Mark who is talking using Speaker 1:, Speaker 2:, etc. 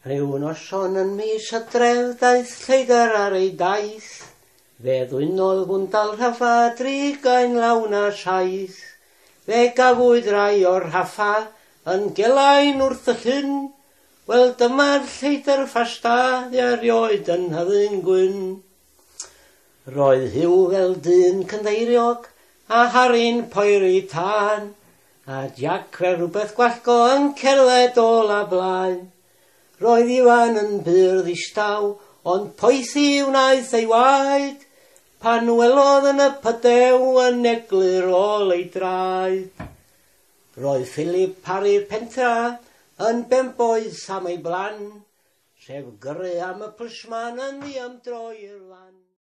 Speaker 1: Rhyw noson yn mis Hydref daeth lleidr ar ei daith. Fe ddwynodd fwndal rhaffa drigain lawn a saith. Fe gafwyd rai o'r rhaffa yn gelain wrth y llyn. Wel dyma'r lleidr ffasta fu erioed yn Nhyddyn Gwyn. Roedd Huw fel dyn cynddeiriog a Harri'n poeri tân, a Jac fel rhywbeth gwallgo yn cerdded ôl a blaen. Roedd Iwan yn bur ddistaw, ond poethi wnaeth ei waed, pan welodd yn y pydew yn eglur ôl ei draed. Roedd Philip Parry'r pentra yn benboeth am ei blan, sef gyrru am y plisman yn ddiymdroi i'r lan.